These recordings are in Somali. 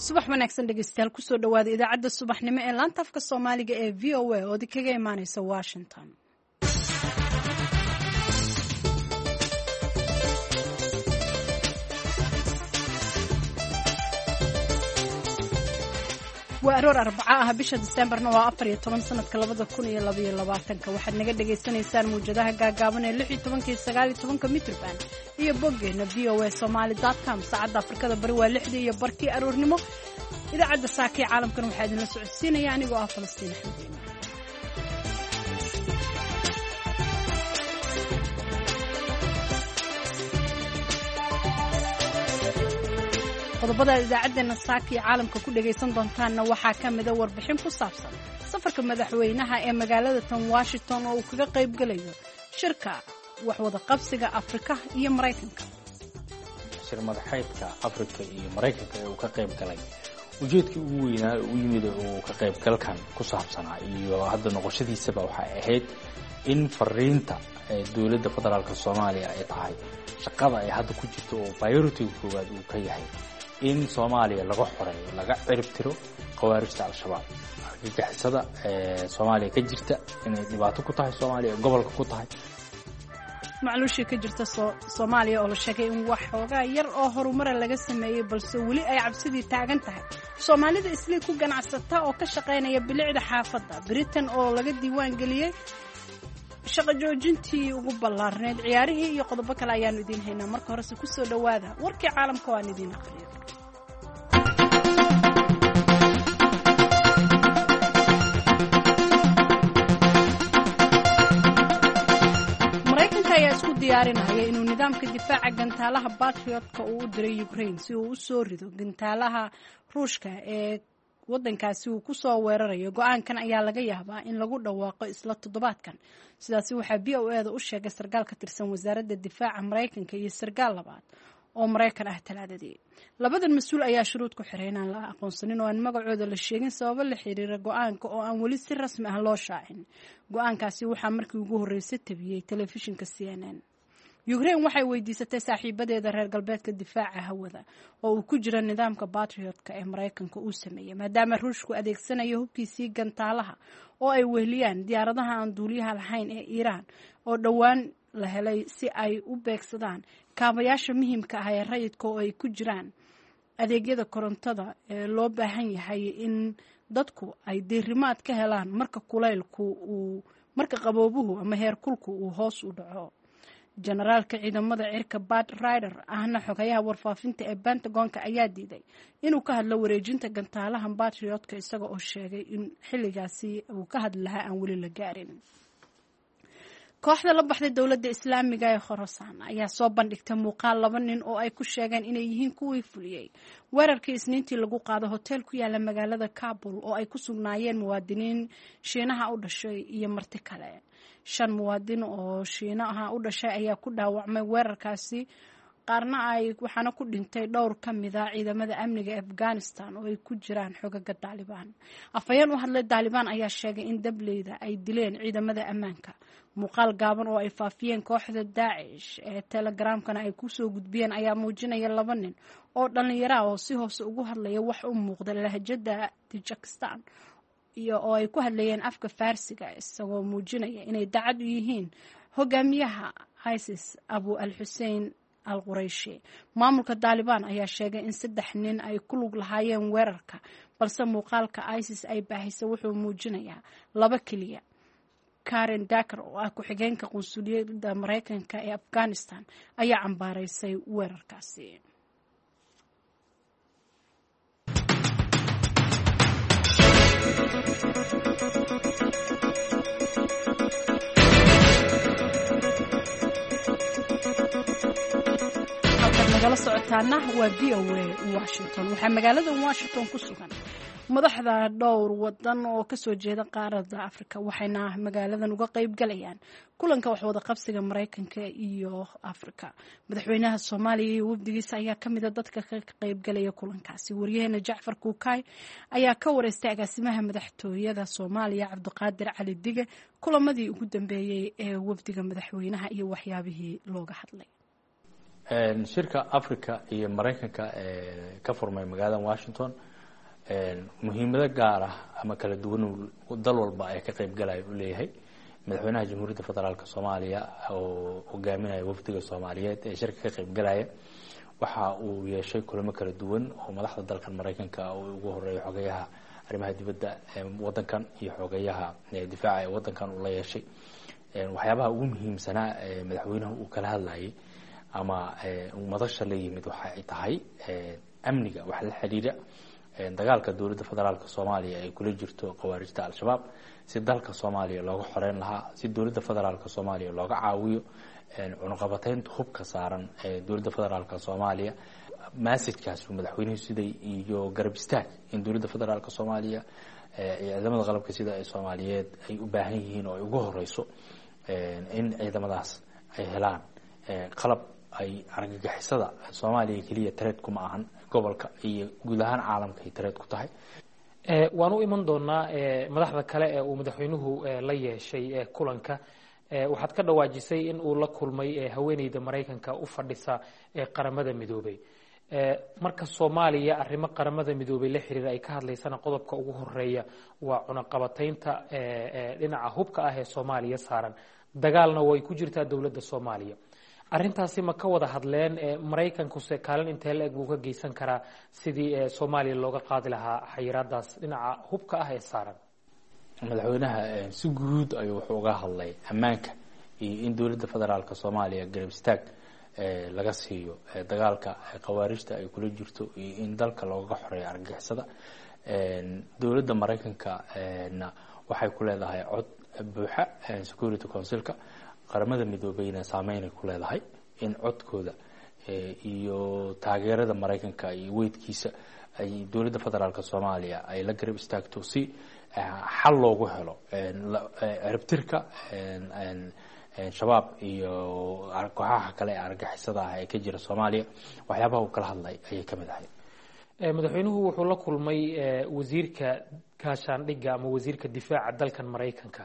Subax wanaagsan dhegeystayaal, kusoo dhawaada idaacadda subaxnimo ee laanta afka Soomaaliga ee VOA oo idinkaga imaaneysa Washington. Waa aroor Arbaco ah, bisha Diseembarna waa 14, sanadka 2022. Waxaad naga dhagaysanaysaan muwjadaha gaagaaban ee 16-ka iyo 19-ka mitrban iyo boggeena voasomali.com. Saacadda Afrikada Bari waa 6:30 aroornimo. Idaacadda saaka ee caalamkan waxaa idinla socodsiinaya anigoo ah Falastiin Axmed Iimaan. Qodobada idaacaddeena saaka iyo caalamka ku dhagaysan doontaanna waxaa ka mida warbixin ku saabsan safarka madaxweynaha ee magaalada tan Washington oo uu kaga qayb gelayo shirka waxwada qabsiga Afrika iyo Maraykanka. Shir madaxeedka Afrika iyo Maraykanka ee uu ka qayb galay, ujeedkii ugu weynaa u yimid uu ka qaybgalkan ku saabsanaa iyo hadda noqoshadiisaba waxay ahayd in fariinta dowladda federaalka Soomaaliya ay tahay shaqada ay hadda ku jirto oo priority-ga koowaad uu ka yahay in Soomaaliya laga xoreeyo, laga cirib tiro khawaarijta Al-Shabaab, argagixisada Soomaaliya ka jirta, inay dhibaato ku tahay Soomaaliya, gobolka ku tahay. Macluushii ka jirta Soomaaliya oo la sheegay in wax xoogaa yar oo horumara laga sameeyey, balse weli ay cabsidii taagan tahay. Soomaalida Islii ku ganacsata oo ka shaqaynaya bilicda xaafadda Britain oo laga diiwaan geliyey shaqo joojintii ugu ballaarneyd, ciyaarihii iyo qodobo kale ayaanu idiin haynaa. Marka horese kusoo dhowaada warkii caalamka oo aan idiin aqriyo. Maraykanka ayaa isku diyaarinaya inuu nidaamka difaaca gantaalaha Batriotka uu u diray Ukraine si uu u soo rido gantaalaha Ruushka ee waddankaasi uu ku soo weerarayo. Go-aankan ayaa laga yaabaa in lagu dhawaaqo isla toddobaadkan. Sidaasi waxaa VOA-da u sheegay sarkaal ka tirsan wasaaradda difaaca Maraykanka iyo sarkaal labaad oo Maraykan ah Talaadadii. Labadan mas-uul ayaa shuruud ku xiray inaan la aqoonsanin oo aan magacooda la sheegin sababo la xiriira go-aanka oo aan weli si rasmi ah loo shaacin. Go-aankaasi waxaa markii ugu horreysay tabiyey telefishinka CNN. Ukraine waxay weydiisatay saaxiibadeeda reer galbeedka difaaca hawada oo uu ku jiro nidaamka Batriotka ee Maraykanka uu sameeyey, maadaama Ruushku adeegsanayo hubkiisii gantaalaha oo ay weheliyaan diyaaradaha aan duuliyaha lahayn ee Iiraan oo dhowaan la helay, si ay u beegsadaan kaabayaasha muhiimka ah ee rayidka oo ay ku jiraan adeegyada korontada ee loo baahan yahay in dadku ay diirimaad ka helaan marka kulaylku uu marka qaboobuhu ama heerkulku uu hoos u dhaco. Generaalka ciidamada cirka Bat Rider, ahna xogayaha warfaafinta ee Pentagonka, ayaa diiday inuu ka hadlo wareejinta gantaalahan Batriotka, isaga oo sheegay in xilligaasi uu ka hadli lahaa aan weli la gaarin. Kooxda la baxday Dowladda Islaamiga ee Khorasaan ayaa soo bandhigtay muuqaal laba nin oo ay ku sheegeen inay yihiin kuwii fuliyey weerarkii Isniintii lagu qaado hotel ku yaala magaalada Kabul oo ay ku sugnaayeen muwaadiniin Shiinaha u dhashay iyo marti kale. Shan muwaadin oo Shiinaha u dhashay ayaa ku dhaawacmay weerarkaasi, qaarna ay waxaana ku dhintay dhowr ka mida ciidamada amniga Afghanistan oo ay ku jiraan xogaga Daalibaan. Afhayeen u hadlay Daalibaan ayaa sheegay in dableyda ay dileen ciidamada ammaanka. Muuqaal gaaban oo ay faafiyeen kooxda Daacish ee Telegramkana ay kusoo gudbiyeen ayaa muujinaya laba nin oo dhallinyaro ah oo si hoose ugu hadlaya wax u muuqda lahjada Tajikistan iyo oo ay ku hadlayeen afka Faarsiga, isagoo muujinaya inay dacad u yihiin hogaamiyaha ISIS Abu al Xusein al Qurayshi. Maamulka Daalibaan ayaa sheegay in saddex nin ay ku lug lahaayeen weerarka, balse muuqaalka ISIS ay baahisay wuxuu muujinayaa laba keliya. Karen Daker oo ah ku-xigeenka qunsuliyadda Maraykanka ee Afghanistan ayaa cambaaraysay weerarkaasi. Halkaad nagala socotaana waa VOA Washington. Waxaa magaalada Washington ku sugan madaxda dhowr wadan oo kasoo jeeda qaaradda Afrika, waxayna magaaladan uga qayb galayaan kulanka waxwada qabsiga Maraykanka iyo Afrika. Madaxweynaha Soomaaliya iyo wafdigiisa ayaa kamida dadka ka qaybgalaya kulankaasi. Waryaheena Jacfar Kuukaay ayaa ka wareystay agaasimaha madaxtooyada Soomaaliya Cabdiqaadir Cali Dige kulamadii ugu dambeeyey ee wafdiga madaxweynaha iyo waxyaabihii looga hadlay. Shirka Africa iyo Maraykanka ee ka furmay magaalada Washington Muhiimado gaar ah ama kala duwan dal walba ay ka qayb galaya u leeyahay. Madaxweynaha Jamhuuriyadda Federaalka Soomaaliya oo hogaaminaya wafdiga Soomaaliyeed ee shirka ka qayb galaya waxa uu yeeshay kulamo kala duwan oo madaxda dalkan Maraykanka oo ugu horeeya xogayaha arrimaha dibadda ee wadankan iyo xogayaha difaaca ee wadankan uu la yeeshay. Waxyaabaha ugu muhiimsanaa ee madaxweynuhu uu kala hadlayay ama madasha la yimid waxa ay tahay amniga, waxa la xiriira dagaalka dowladda federaalka Soomaaliya ay kula jirto khawaarijta Al-Shabaab, si dalka Soomaaliya looga xoreyn lahaa, si dowladda federaalka Soomaaliya looga caawiyo cunuqabateynta hubka saaran ee dowladda federaalka Soomaaliya. Massajkaas uu madaxweynuhu siday iyo garab istaag in dowladda federaalka Soomaaliya ciidamada qalabka sida ay Soomaaliyeed ay u baahan yihiin oo ay ugu horeyso in ciidamadaas ay helaan qalab ay argagixisada Soomaaliya keliya tareed kuma ahan, gobolka iyo guud ahaan caalamka ay tareed ku tahay. Waan u iman doonaa madaxda kale ee uu madaxweynuhu la yeeshay kulanka. Waxaad ka dhawaajisay in uu la kulmay haweeneyda Maraykanka u fadhisa Qaramada Midoobay. Marka Soomaaliya arrimo Qaramada Midoobay la xiriira ay ka hadlaysana, qodobka ugu horeeya waa cunaqabataynta dhinaca hubka ah ee Soomaaliya saaran, dagaalna way ku jirtaa dowladda Soomaaliya. Arrintaasi ma ka wada hadleen? Maraykankuse kaalin intee la eg buu ka geysan karaa sidii Soomaaliya looga qaadi lahaa xayiraadaas dhinaca hubka ah ee saaran? Madaxweynaha si guud ayuu wuxuu uga hadlay ammaanka iyo in dowladda federaalka Soomaaliya garab istaag laga siiyo dagaalka khawaarijta ay kula jirto iyo in dalka looga xoreeyo argagixisada. Dowladda Maraykanka na waxay ku leedahay cod buuxa Security Councilka Qaramada Midoobeyna, saameynay ku leedahay in codkooda iyo taageerada Maraykanka iyo weydkiisa ay dowladda federaalka Soomaaliya ay la garab istaagto si xal loogu helo ciribtirka Shabaab iyo kooxaha kale ee argagixisada ah ee ka jira Soomaaliya. Waxyaabaha uu kala hadlay ayay ka mid ahayd. Madaxweynuhu wuxuu la kulmay wasiirka gaashaandhigga ama wasiirka difaaca dalkan Maraykanka.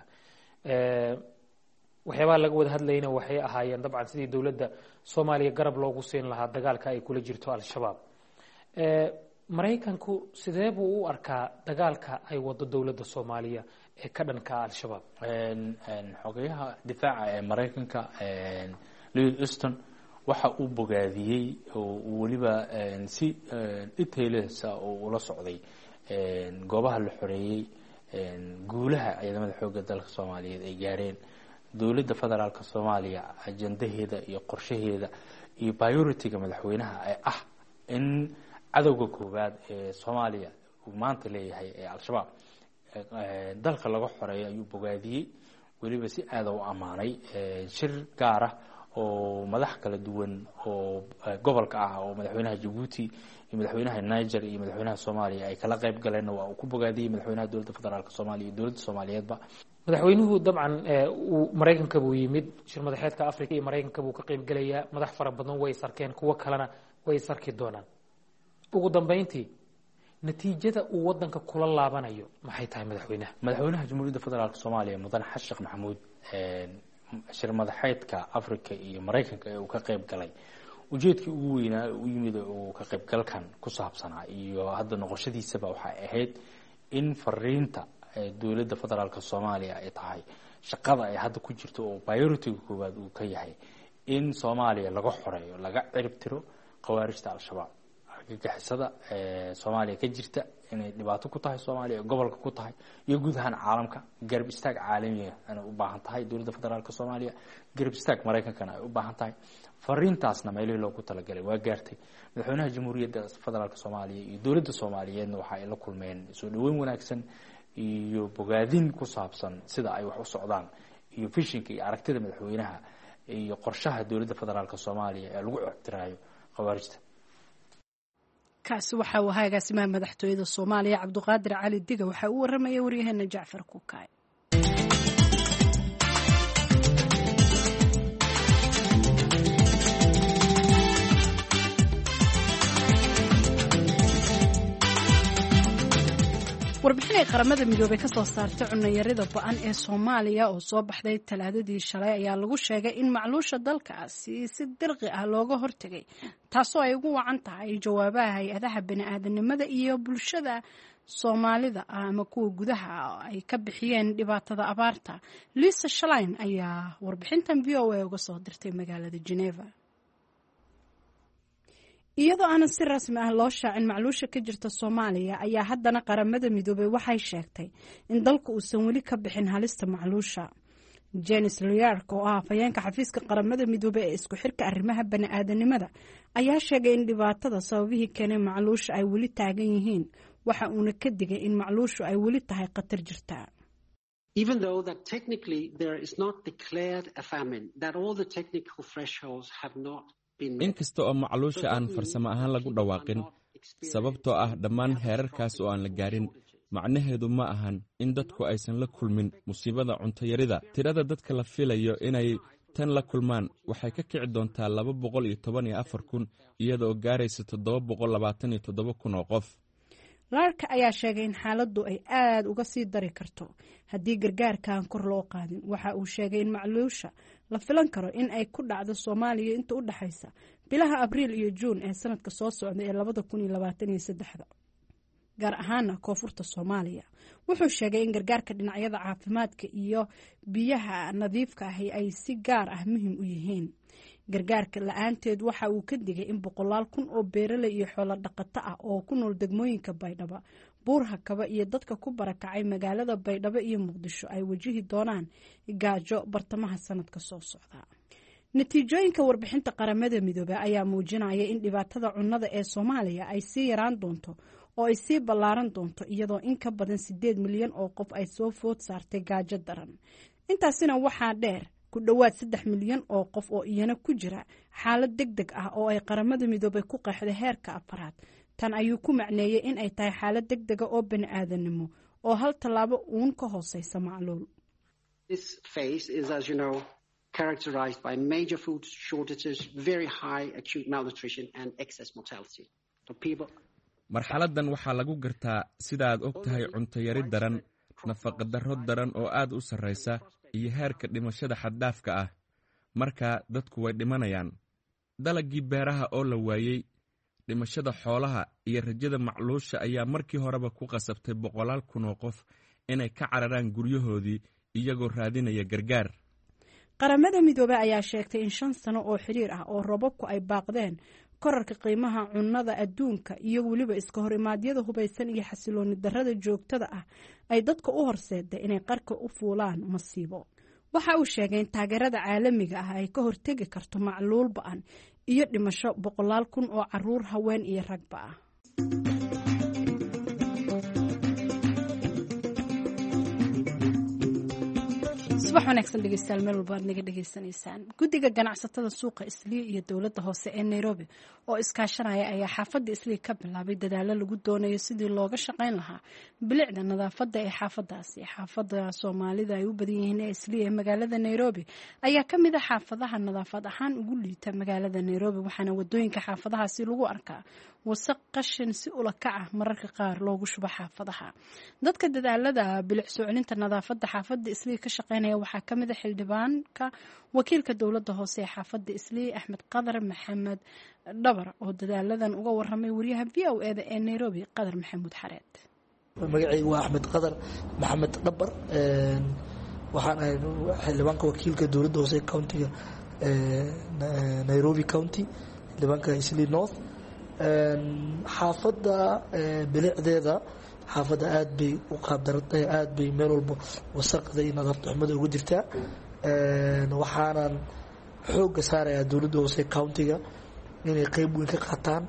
Waxyaabaha laga wada hadlayna waxay ahaayeen dabcan sidii dowladda Soomaaliya garab loogu siin lahaa dagaalka ay kula jirto Al-Shabaab. Maraykanku sidee buu u arkaa dagaalka ay wado dowladda Soomaaliya ee ka dhanka Al-Shabaab? Xogayaha difaaca ee Maraykanka Lloyd Austin waxa uu bogaadiyey oo uu weliba si detailsa oo ula socday goobaha la xoreeyey, guulaha ciidamada xoogga dalka Soomaaliyeed ay gaareen, dowladda federaalka Soomaaliya ajandaheeda iyo qorshaheeda iyo priority-ga madaxweynaha ee ah in cadowga koowaad ee Soomaaliya uu maanta leeyahay ee Al-Shabaab dalka laga xoreeyo ayuu bogaadiyey, weliba si aada u ammaanay. Shir gaar ah oo madax kala duwan oo gobolka ah oo madaxweynaha Jabuuti iyo madaxweynaha Niger iyo madaxweynaha Soomaaliya ay kala qayb galeenna waa uu ku bogaadiyey madaxweynaha dowladda federaalka Soomaaliya iyo dowladda Soomaaliyeedba. Madaxweynuhu dabcan uu Maraykanka buu yimid, shir madaxeedka Africa iyo Maraykanka buu ka qayb gelayaa. Madax fara badan way is arkeen, kuwo kalena way is arki doonaan. Ugu dambeyntii, natiijada uu wadanka kula laabanayo maxay tahay madaxweynaha? Madaxweynaha Jamhuuriyadda Federaalka Soomaaliya Mudane Xasan Sheekh Maxamuud shir madaxeedka Africa iyo Maraykanka ee uu ka qayb galay, ujeedkii ugu weynaa u yimid uu ka qaybgalkan ku saabsanaa iyo hadda noqoshadiisaba waxay ahayd in fariinta dowladda federaalka Soomaaliya ay tahay shaqada ay hadda ku jirto oo priority-ga koowaad uu ka yahay in Soomaaliya laga xoreeyo, laga cirib tiro khawaarijta Al-Shabaab, argagixisada Soomaaliya ka jirta inay dhibaato ku tahay Soomaaliya, gobolka ku tahay iyo guud ahaan caalamka. Garab istaag caalamiga inay u baahan tahay dowladda federaalka Soomaaliya, garab istaag Maraykankana ay u baahan tahay. Fariintaasna meelihii loogu talagalay waa gaartay. Madaxweynaha Jamhuuriyadda Federaalka Soomaaliya iyo dowladda Soomaaliyeedna waxa ay la kulmeen soo dhaweyn wanaagsan iyo bogaadin ku saabsan sida ay wax u socdaan iyo fishinka iyo aragtida madaxweynaha iyo qorshaha dowladda federaalka Soomaaliya ee lagu ciribtiraayo khawaarijta. Kaasi waxa uu ahaa agaasimaha madaxtooyada Soomaaliya Cabduqaadir Cali Diga. Waxaa u waramaya waryaheena Jacfar Kukaay. Warbixin ay Qaramada Midoobey ka soo saartay cunayarida ba-an ee Soomaaliya oo soo baxday Talaadadii shalay ayaa lagu sheegay in macluusha dalkaasi si dirqi ah looga hortegay, taasoo ay ugu wacan tahay jawaabaha hay-adaha bani-aadanimada iyo bulshada Soomaalida ah ama kuwa gudaha ay ka bixiyeen dhibaatada abaarta. Lisa Shlein ayaa warbixintan VOA uga soo dirtay magaalada Geneva. Iyadoo aanan si rasmi ah loo shaacin macluusha ka jirta Soomaaliya ayaa haddana Qaramada Midoobey waxay sheegtay in dalku uusan weli ka bixin halista macluusha. Jens Laerke, oo ah afhayeenka xafiiska Qaramada Midoobey ee isku xirka arrimaha bani-aadanimada, ayaa sheegay in dhibaatada sababihii keenay macluusha ay weli taagan yihiin, waxa uuna ka digay in macluushu ay weli tahay khatar jirta. Even though that technically there is not declared a famine, that all the technical thresholds have not been met. In kasta oo macluusha aan farsamo ahaan lagu dhawaaqin, sababtoo ah dhammaan heerarkaas oo aan la gaarin, macnaheedu ma ahan in dadku aysan la kulmin musiibada cuntayarida. Tirada dadka la filayo inay tan la kulmaan waxay ka kici doontaa 214,000, iyadaoo gaaraysa 727,000 oo qof. Laerke ayaa sheegay in xaaladdu ay aada uga sii dari karto haddii gargaarkaan kor loo qaadin. Waxa uu sheegay in macluusha la filan karo in ay ku dhacdo Soomaaliya inta u dhexaysa bilaha Abriil iyo Juun ee sanadka soo socda ee 2023-da, gaar ahaana koonfurta Soomaaliya. Wuxuu sheegay in gargaarka dhinacyada caafimaadka iyo biyaha nadiifka ahi ay si gaar ah muhiim u yihiin. Gargaarka la-aanteed, waxa uu ka digay in boqolaal kun oo beeraley iyo xoolo dhaqato ah oo ku nool degmooyinka Baydhabo, Buurhakaba iyo dadka ku barakacay magaalada Baydhabo iyo Muqdisho ay wajihi doonaan gaajo bartamaha sanadka soo socda. Natiijooyinka warbixinta Qaramada Midoobey ayaa muujinaya in dhibaatada cunnada ee Soomaaliya ay sii yaraan doonto oo ay sii ballaaran doonto, iyadoo in ka badan 8 milyan oo qof ay soo food saartay gaajo daran. Intaasina waxaa dheer ku dhowaad 3 milyan oo qof oo iyana ku jira xaalad deg deg ah oo ay Qaramada Midoobey ku qeexday heerka afaraad. Tan ayuu ku macneeyey in ay tahay xaalad deg dega oo bani aadanimo oo hal tallaabo uun ka hooseysa macluul. This phase is, as you know, characterized by major food shortages, very high acute malnutrition, and excess mortality. So people Marxaladdan waxaa lagu gartaa, sidaaad og tahay, cuntayari daran, nafaqadarro daran oo aad u sarraysa iyo heerka dhimashada xaddaafka ah. Markaa dadku way dhimanayaan. Dalaggii beeraha oo la waayey, dhimashada xoolaha iyo rajada macluusha ayaa markii horeba ku qasabtay boqolaal kun oo qof inay ka cararaan guryahoodii iyagoo raadinaya gargaar. Qaramada Midoobey ayaa sheegtay in 5 sano oo xiriir ah oo roobabku ay baaqdeen, korarka qiimaha cunnada adduunka iyo weliba iska hor imaadyada hubaysan iyo xasilooni darrada joogtada ah ay dadka u horseeday inay qarka u fuulaan masiibo. Waxa uu sheegay in taageerada caalamiga ah ay ka hortegi karto macluul ba-an iyo dhimasho boqolaal kun oo caruur, haween iyo ragba ah. Subax wanaagsan dhegeystayaal, meel walba aad naga dhegeysanaysaan. Guddiga ganacsatada suuqa Islii iyo dowladda hoose ee Nairobi oo iskaashanaya ayaa xaafadda Islii ka bilaabay dadaalo lagu doonayo sidii looga shaqayn lahaa bilicda nadaafadda ee xaafadaasi. Xaafadda Soomaalida ay u badan yihiin ee Islii ee magaalada Nairobi ayaa ka mid a xaafadaha nadaafad ahaan ugu liita magaalada Nairobi, waxaana wadooyinka xaafadahaasi lagu arkaa wasaq, qashin si ula kac ah mararka qaar loogu shubo xaafadaha. Dadka dadaalada bilic soo celinta nadaafadda xaafadda Islii ka shaqeynaya waxaa ka mid a xildhibaanka wakiilka dowladda hoose ee xaafadda Islii, Axmed Qadar Maxamed Dhabar, oo dadaaladan uga waramay wariyaha VOA-da ee Nairobi, Qadar Maxamuud Xareed. Magacaygu waa Axmed Qadar Maxamed Dhabar. Waxaan ahay xildhibaanka wakiilka dowladda hoose ee countiga Nairobi County, xildhibaanka Islii North. Xaafadda bilicdeeda, xaafadda aad bay u qaabdarantahay, aad bay meel walba wasaqda iyo nadaafad xumada uga jirtaa. Waxaanan xoogga saarayaa dowladda hoose countiga inay qeyb weyn ka qaataan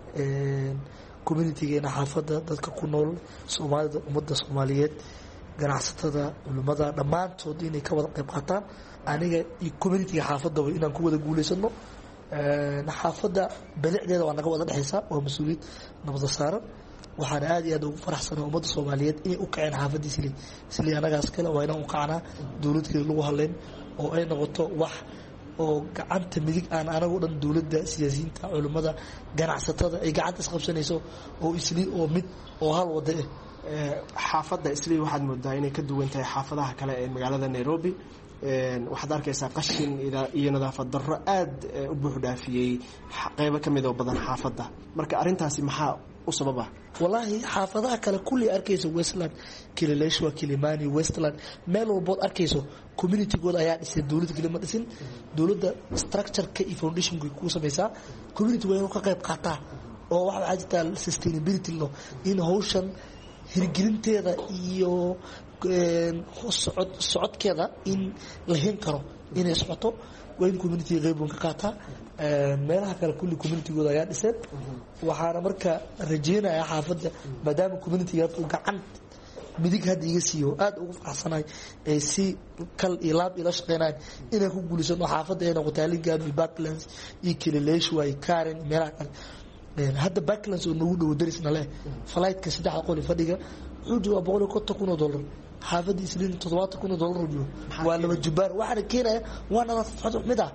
communitygeena xaafadda, dadka ku nool Soomaalida, ummadda Soomaaliyeed, ganacsatada, culimmada, dhammaantood inay ka wada qeyb qaataan. Aniga iyo communityga xaafaddaba inaan ku wada guuleysano. Xaafadda bilicdeeda waa naga wada dhexeysaa, waa mas-uuliyad nabada saaran. Waxaana aad iyo aad ugu faraxsanaa ummadda Soomaaliyeed inay u kaceen xaafadda Islii. Islii anagaas kale waa inaan u kacnaa, dowladkeeda lagu hadleyn oo ay noqoto wax oo gacanta midig aan anagu dhan, dowladda, siyaasiyiinta, culimmada, ganacsatada ay gacanta isqabsanayso oo Islii oo mid oo hal wada ah. Xaafadda Islii waxaad moodaa inay ka duwan tahay xaafadaha kale ee magaalada Nairobi. Waxaad arkaysaa qashin iyo nadaafad darro aada u buux dhaafiyey qeybo ka mid oo badan xaafadda. Marka arrintaasi maxaa u sababa? Wallaahi, xaafadaha kale kulli arkayso, Westland, Kileleshwa, Kilimani, Westland, meel walbood arkayso communitygooda ayaa dhisay. Dowladda keli ma dhisin. Dowladda structureka iyo foundationka kuu samaysaa, community waa inuu ka qayb qaataa. Oo waxaa jirtaa sustainability law in hawshan hirgelinteeda iyo socodkeeda in la hen karo inay socoto, waa in communitiga qeyb ka qaataa. Meelaha kale kulli communitygooda ayaa dhiseen. Waxaana marka rajeynaya xaafadda, maadaama communitiga hadda uu gacan midig hadda iga siiyo, aada ugu faraxsanahay ee si kal iyo laab ila shaqeynayan, inay ku guuleysano xaafadda ay noqotaa Hurlingham iyo Parklands iyo Kileleshwa iyo Karen iyo meelaha kale. Hadda Parklands oo nagu dhowo darisna leh, flightka saddexda qol fadhiga wuxuu joogaa $150,000. Xaafadda Isliin $70,000 joogo, waa laba jubaar. Waxaana keenaya waa nadaafad xumid ah.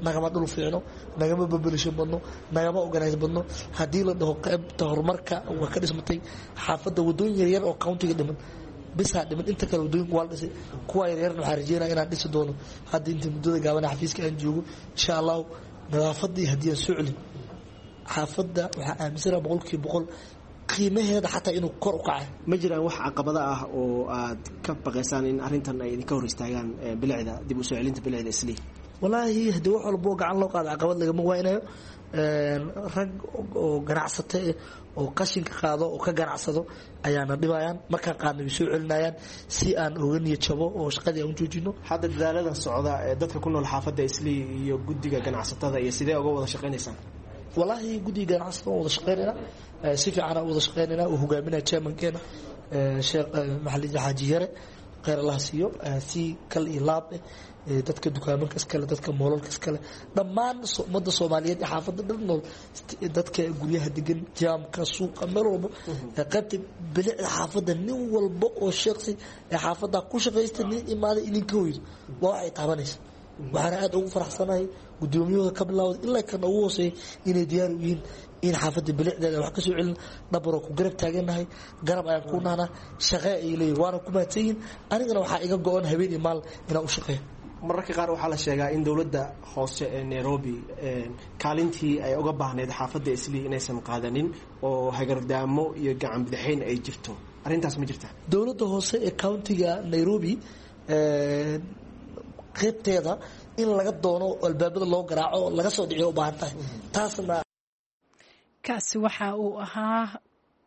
Nagama dhul fiicno, nagama babelisho badno, nagama organize badno. Haddii la dhaho qaybta horumarka waa ka dhismatay xaafadda, wadooyin yaryar oo countiga dhiman bisaa dhiman. Inta kale wadooyinka waa la dhisay. Kuwa yaryarna waxaa rajeynaya inaan dhisi doono hadda inta muddada gaaban xafiiska aan joogo, insha Allahu. Nadaafadii haddii aan soo celin xaafadda, waxaa aaminsana 100% qiimaheeda xataa inuu kor u kacay. Ma jiraan wax caqabado ah oo aad ka baqaysaan in arrintan ay idinka hor istaagaan bilicda, dib u soo celinta bilicda Islii? Wallaahi, haddii wax walbo gacan loo qaado caqabad lagama waynayo. Rag oo ganacsata oo qashinka qaado oo ka ganacsado ayaana dhibayaan. Markaan qaadna way soo celinayaan si aan oga niyad jabo oo shaqadii aan u joojino. Hadda dadaaladan socda ee dadka ku nool xaafadda Islii iyo guddiga ganacsatada iyo sidee uga wada shaqaynaysaan? Wallaahi, guddiga ganacsatada waan wada shaqeynayna, si fiican aan wada shaqeynayna. Uu hogaaminaya chairmankeena, Sheekh Maxalid Xaaji Yare, kheyr Allah siiyo. Si kal iyo laab eh dadka dukaamanka iskale, dadka moolalka iskale, dhammaan ummadda Soomaaliyeed ee xaafadda dhan nool, dadka guryaha degan, jaamka, suuqa, meel walba, qaybta bilicda xaafadda, nin walba oo sheeqsi ee xaafadda ku shaqaysta, nin imaaday idinka hoydo, waa waxay taabanaysa. Waxaana aada ugu faraxsanahay guddoomiyahooda ka bilawda ilaa kan ugu hooseeya inay diyaar u yihiin in xaafadda bilicdeeda wax ka soo celin. Dhabaroo ku garab taagannahay, garab ayaan ku nahnaa, shaqee ay leeyihin, waana ku mahadsan yihin. Anigana waxaa iga go-an habeen iyo maal inaan u shaqeeyo. Mararka qaar waxaa la sheegaa in dowladda hoose ee Nairobi kaalintii ay uga baahnayd xaafadda Islii inaysan qaadanin oo hagardaamo iyo gacan bidixayn ay jirto. Arrintaas ma jirta? Dowladda hoose ee countiga Nairobi qaybteeda in laga doono, albaabada loo garaaco, laga soo dhiciyo u baahan tahay taasna. Kaasi waxa uu ahaa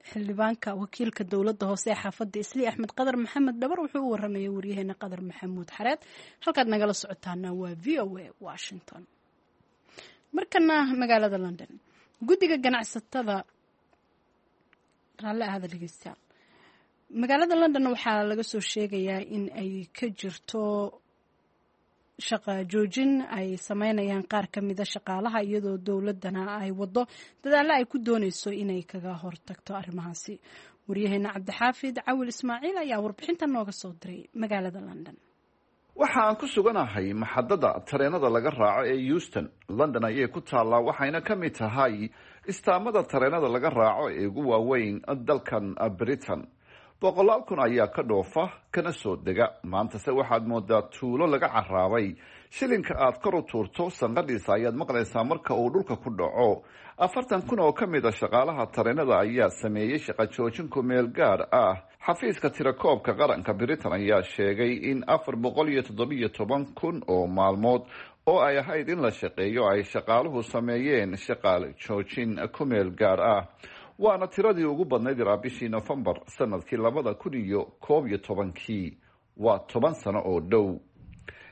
xildhibaanka wakiilka dowladda hoose ee xaafadda Islii, Axmed Qadar Maxamed Dhabar. Wuxuu u waramayay waryaheena Qadar Maxamuud Xareed. Halkaad nagala socotaana waa VOA Washington. Markana magaalada London, guddiga ganacsatada, raalli ahada dhegeystayaal, magaalada London waxaa laga soo sheegayaa in ay ka jirto shaqa joojin ay sameynayaan qaar ka mida shaqaalaha, iyadoo dowladana ay wado dadaalo ay ku dooneyso inay kaga hortagto arrimahaasi. Waryaheena Cabdixaafid Cawil Ismaaciil ayaa warbixinta nooga soo diray magaalada London. Waxa aan ku suganahay maxadada tareenada laga raaco ee Euston. London ayay ku taallaa, waxayna ka mid tahay istaamada tareenada laga raaco ee ugu waaweyn dalkan Britain. Boqolaal kun ayaa ka dhoofa kana soo dega. Maantase waxaad moodaa tuulo laga caraabay. Shilinka aad kor u tuurto sanqadhiisa ayaad maqlaysaa marka uu dhulka ku dhaco. 40,000 oo ka mid a shaqaalaha tareenada ayaa sameeyey shaqo joojin ku meel gaar ah. Xafiiska tirakoobka qaranka Britain ayaa sheegay in 417,000 oo maalmood oo ay ahayd in la shaqeeyo ay shaqaaluhu sameeyeen shaqaale joojin ku meel gaar ah, waana tiradii ugu badnayd ilaa bishii Nofembar sanadkii 2011-kii. Waa 10 sano oo dhow.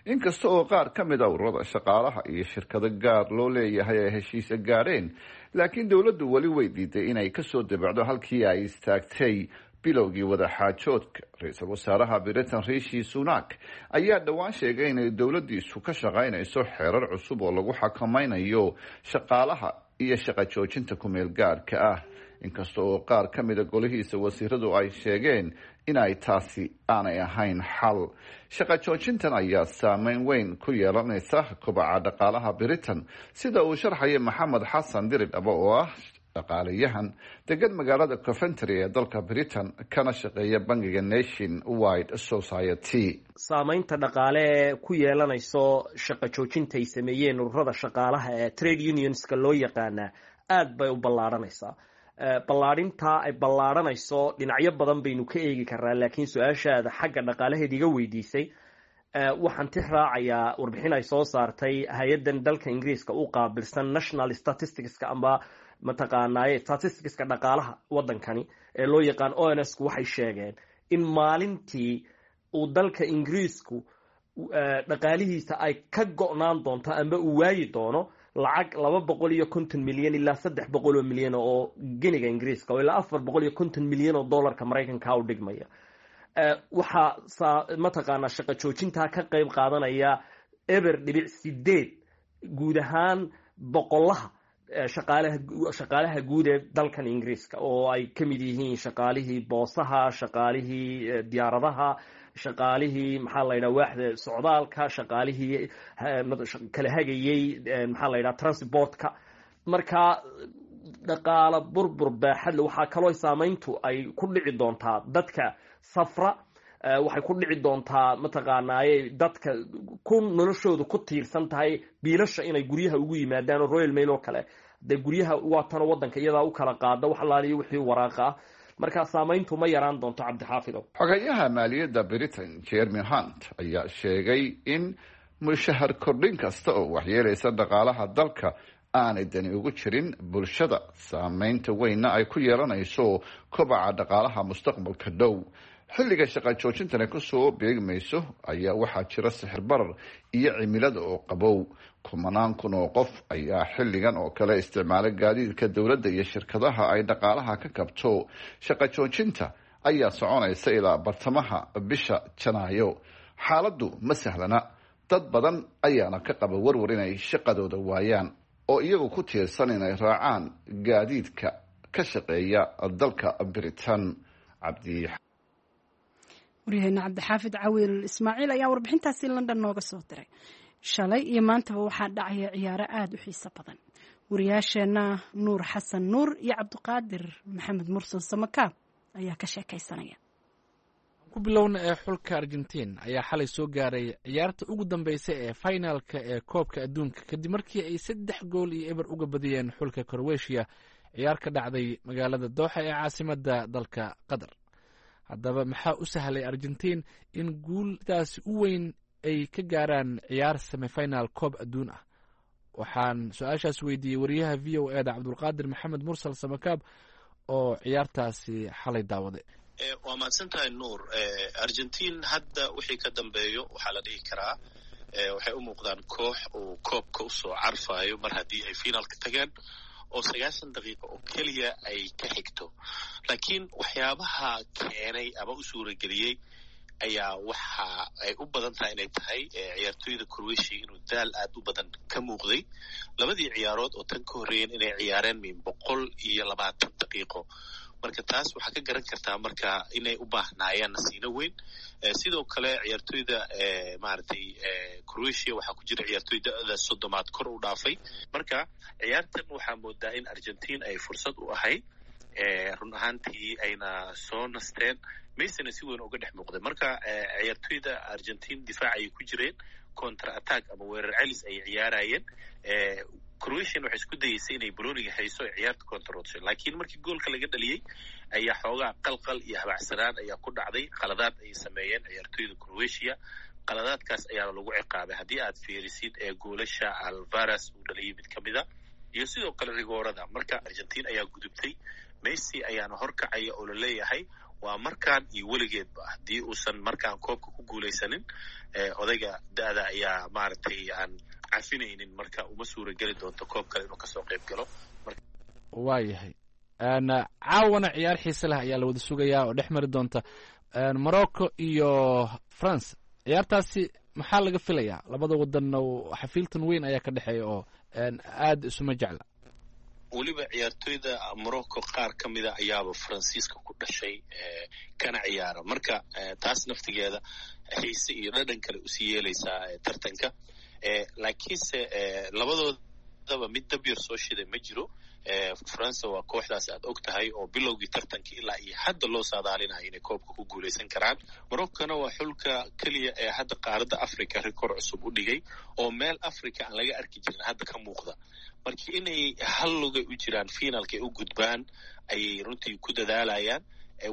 Inkasta oo qaar ka mid a ururada shaqaalaha iyo shirkado gaar loo leeyahay ay heshiisa gaadheen, laakiin dowladdu weli way diiday inay kasoo debacdo halkii ay istaagtay bilowgii wadaxaajoodka. Ra-iisul wasaaraha Britain Rishi Sunak ayaa dhowaan sheegay inay dowladdiisu ka shaqaynayso xeerar cusub oo lagu xakamaynayo shaqaalaha iyo shaqo joojinta kumeel gaarka ah, inkasta oo qaar ka mida golihiisa wasiiradu ay sheegeen in ay taasi aanay ahayn xal. Shaqo joojintan ayaa saameyn weyn ku yeelanaysa kobaca dhaqaalaha Britain, sida uu sharxaya Maxamed Xasan Diridhabo oo ah Dhaqaalayahan degan magaalada Coventry ee dalka Britain kana shaqeeya bangiga Nation Wide Society. Saameynta dhaqaale ee ku yeelanayso shaqo joojinta ay sameeyeen ururada shaqaalaha ee trade unionska loo yaqaanaa aad bay u ballaadhanaysaa. Ballaadhintaa ay ballaadhanayso dhinacyo badan baynu ka eegi karnaa, laakiin su-aashaada xagga dhaqaalaheed iga weydiisay, waxaan tix raacayaa warbixin ay soo saartay hay-addan dalka Ingiriiska u qaabilsan national statisticska amba mataqaanaaye statisticska dhaqaalaha waddankani ee loo yaqaan ONS ku. Waxay sheegeen in maalintii uu dalka Ingiriisku dhaqaalihiisa ay ka go'naan doonto amba uu waayi doono lacag 250 milyan ilaa 300 milyan oo geniga Ingiriiska oo ilaa 450 milyan oo dollarka Maraykanka u dhigmaya. Waxaa saa mataqaanaa shaqo joojintaa ka qeyb qaadanaya 0.8 guud ahaan boqolaha shaqaalaha guud ee dalkan Ingiriiska, oo ay ka mid yihiin shaqaalihii boosaha, shaqaalihii diyaaradaha, shaqaalihii, maxaa la yidhaha, waaxda socdaalka, shaqaalihii kala hagayey, maxaa la yidhaha, transportka. Marka dhaqaalo burbur baaxadle. Waxaa kaloo saameyntu ay ku dhici doontaa dadka safra, waxay ku dhici doontaa mataqaanaaye dadka ku noloshoodu ku tiirsan tahay biilasha inay guryaha ugu yimaadaan, oo Royal Mail oo kale dee guryaha waatano waddanka iyadaa u kala qaada wax alaaliyo wixii waraaqa ah. Marka saameyntu ma yaraan doonto, Cabdixaafidow. Xogayaha maaliyadda Britain Jeremy Hunt ayaa sheegay in mushahar kordhin kasta oo waxyeelaysa dhaqaalaha dalka aanay dani ugu jirin bulshada, saameynta weynna ay ku yeelanayso kobaca dhaqaalaha mustaqbalka dhow. Xilliga shaqa joojintani kusoo beegmayso ayaa waxaa jira sixir barar iyo cimilada oo qabow. Kumanaan kun oo qof ayaa xilligan oo kale isticmaala gaadiidka dowladda iyo shirkadaha ay dhaqaalaha ka kabto. Shaqa joojinta ayaa soconaysa ilaa bartamaha bisha Janaayo. Xaaladdu ma sahlana, dad badan ayaana ka qaba warwar inay shaqadooda waayaan oo iyagu ku tiirsan inay raacaan gaadiidka ka shaqeeya dalka Britain. Cabdi Waryaheena Cabdixaafid Cawiil Ismaaciil ayaa warbixintaasi London nooga soo diray. Shalay iyo maantaba waxaa dhacaya ciyaaro aada u xiiso badan. Wariyaasheenna Nuur Xasan Nuur iyo Cabdiqaadir Maxamed Mursal Samakaab ayaa ka sheekaysanaya. Ku bilowna ee xulka Argentiin ayaa xalay soo gaaray ciyaarta ugu dambeysa ee finalka ee koobka adduunka, kadib markii ay 3 gool iyo 0 uga badiyeen xulka Croatia ciyaar ka dhacday magaalada Dooxa ee caasimadda dalka Qatar. Haddaba maxaa u sahlay Argentiin in guuldaasi u weyn ay ka gaaraan ciyaar semifinal koob adduun ah? Waxaan su-aashaas weydiiyey wariyaha VOA da Cabdulqaadir Maxamed Mursal Samakaab oo ciyaartaasi xalay daawaday. Waa mahadsan tahay, Nuur. Argentiin hadda wixii ka dambeeyo waxaa la dhihi karaa waxay u muuqdaan koox uu koobka usoo carfayo, mar haddii ay finaalka tageen oo 90 daqiiqo oo keliya ay ka xigto. Laakiin waxyaabaha keenay ama u suurageliyey ayaa waxa ay u badan tahay inay tahay ciyaartooyda Croatia inuu daal aad u badan ka muuqday labadii ciyaarood oo tan ka horreeyeen, inay ciyaareen min 120 daqiiqo. Marka taas waxaa ka garan kartaa marka inay u baahnaayeen nasiino weyn. Sidoo kale ciyaartooyda maaragtay Croatia waxaa ku jira ciyaartooy da'da 30aad kor u dhaafay. Marka ciyaartan waxaa moodaa in Argentiin ay fursad u ahayd run ahaantii, ayna soo nasteen. Messina si weyn uga dhex muuqday. Marka ciyaartooyda Argentiin difaac ayay ku jireen, counter attack ama weerar celis ayay ciyaarayeen. Croatian waxay isku dayeysay inay balooniga hayso ee ciyaarta controlsho, laakiin markii goolka laga dhaliyey ayaa xoogaa qalqal iyo habacsanaan ayaa ku dhacday. Qaladaad ayay sameeyeen ciyaartooyda Croatia, qaladaadkaas ayaana lagu ciqaabay. Haddii aad fiirisid ee goolasha Alvarez uu dhaliyey mid ka mid a iyo sidoo kale rigoorada, marka Argentiin ayaa gudubtay. Messi ayaana horkacaya oo la leeyahay waa markaan iyo weligeedba haddii uusan markaan koobka ku guulaysanin, odayga da'da ayaa maaragtay aan cafinaynin, marka uma suura geli doonto koob kale inuu kasoo qayb galo. Waayahay, caawana ciyaar xiise leh ayaa la wada sugayaa oo dhex mari doonta Morocco iyo France. Ciyaartaasi maxaa laga filayaa? Labada wadanna xafiiltan weyn ayaa ka dhexeeya oo aada isuma jecla. Weliba ciyaartoyda Morocco qaar ka mida ayaaba Faransiiska ku dhashay kana ciyaara. Marka taas naftigeeda xiise iyo dhadhan kale usii yeelaysaa tartanka. Laakiinse labadoodaba mid dabyar soo shiday ma jiro. Faransa waa kooxdaas aad og tahay oo bilowgii tartanka ilaa iyo hadda loo saadaalinayo inay koobka ku guuleysan karaan. Moroccona waa xulka keliya ee hadda qaaradda Africa rikoor cusub u dhigay oo meel Africa aan laga arki jirin hadda ka muuqda. Marka inay hal lugay u jiraan finaalka ay u gudbaan ayay runtii ku dadaalayaan,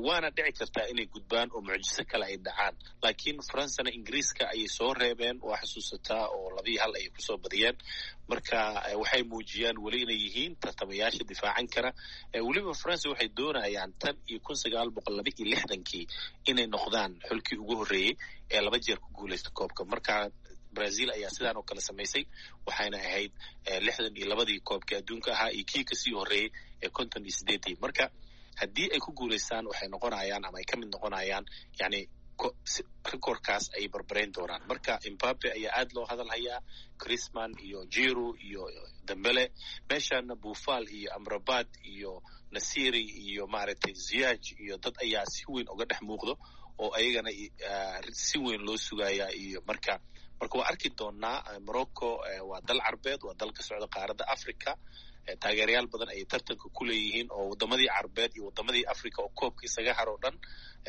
waana dhici kartaa inay gudbaan oo mucjiso kale ay dhacaan. Laakiin Faransana Ingiriiska ayay soo reebeen, waa xusuusataa, oo 2-1 ayay kusoo badiyeen. Marka waxay muujiyaan weli inay yihiin tartamayaasha difaacan kara. Weliba Faransa waxay doonayaan tan iyo 1962kii inay noqdaan xulkii ugu horreeyey ee 2 jeer ku guuleysta koobka. Marka Brazil ayaa sidaan oo kale samaysay, waxayna ahayd 62dii koobkii adduunka ahaa iyo kii kasii horreeyey ee 58dii. Marka haddii ay ku guulaystaan waxay noqonayaan ama ay ka mid noqonayaan, yani rikoorkaas ay barbarayn doonaan. Marka Mbappe ayaa aad loo hadal hayaa, Crisman iyo Jiro iyo Dembele, meeshana Buufal iyo Amrabat iyo Nasiri iyo maaragtay Ziyaj iyo dad ayaa si weyn uga dhex muuqdo oo ayagana si weyn loo sugayaa. Iyo marka waa arki doonaa. Morocco waa dal carbeed, waa dal ka socda qaaradda Africa, taageerayaal badan ayay tartanka ku leeyihiin oo wadamadii carbeed iyo wadamadii Africa oo koobka isaga haro dhan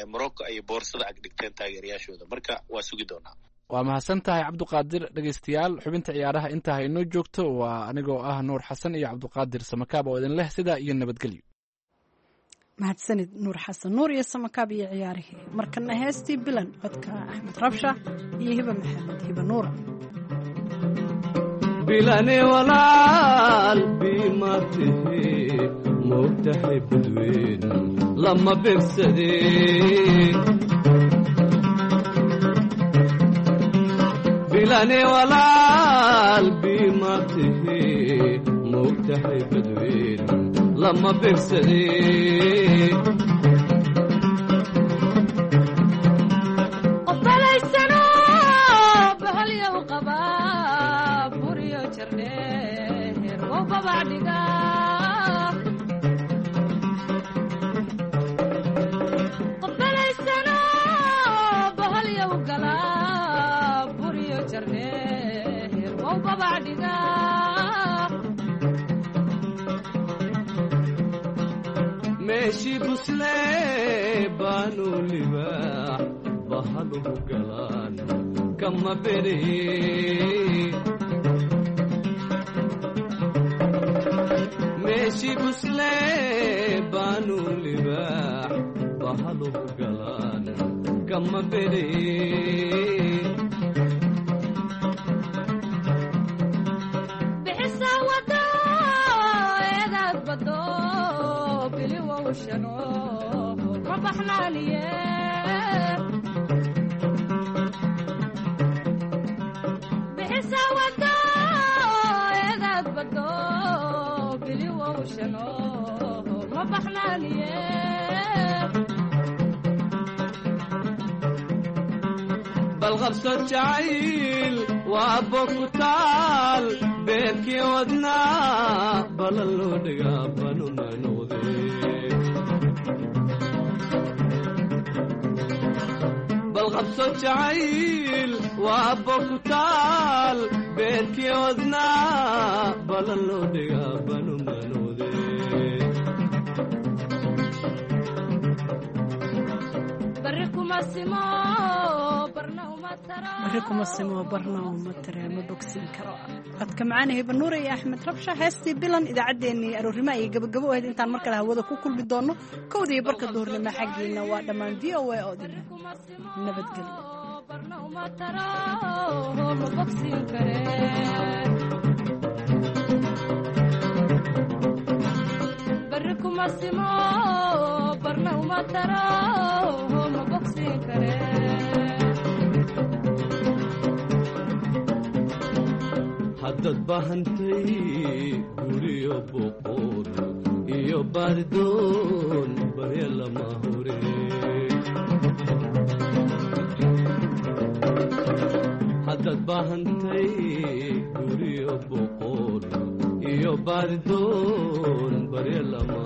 Morocco ayay boorsada ag dhigteen taageerayaashooda. Marka waa sugi doonaa. Waa mahadsan tahay Cabduqaadir. Dhegeystayaal, xubinta ciyaaraha intaa hainoo joogto. Waa anigoo ah Nuur Xasan iyo Cabduqaadir Samakaab oo idin leh sidaa iyo nabadgelyo. Mahadsanid Nuur Xasan Nuur iyo Samakaab iyo ciyaarihii. Markana heestii Bilan, codka Axmed Rabsha iyo Hiba Maxamed Hiba Nuura. Bilane walaal bima tihi, moogtahay badweyn lama beegsadeen. Bilane walaal bima tihi, moogtahay badweyn lama beegsadeen. Meeshii buslee baanu libaax bahaluhu galaan kama beree. Meeshii buslee baanu libaax bahaluhu galaan kama beree. Balqabso jacayl waa bokutaal beerkii wadnaa bala loo dhigaa banuma noqdee. Balqabso jacayl waa bokutaal beerkii wadnaa bala loo dhigaa banuma noqdee. Barri kuma simo barna uma tare ma bogsin karo. Codka macaana Hiba Nuur iyo Axmed Rabsha, heestii Bilan. Idaacaddeenii aroornimo ayay gabagabo ahayd. Intaan mar kale hawada ku kulmi doono 1:30 duhurnimo xaggiina, waa dhammaan VOA oo idin nabadgelyo. Haddaad bahantay guriyo boqor iyo baardoon barya lama hore. Haddaad bahantay guriyo boqor iyo baardoon barya lama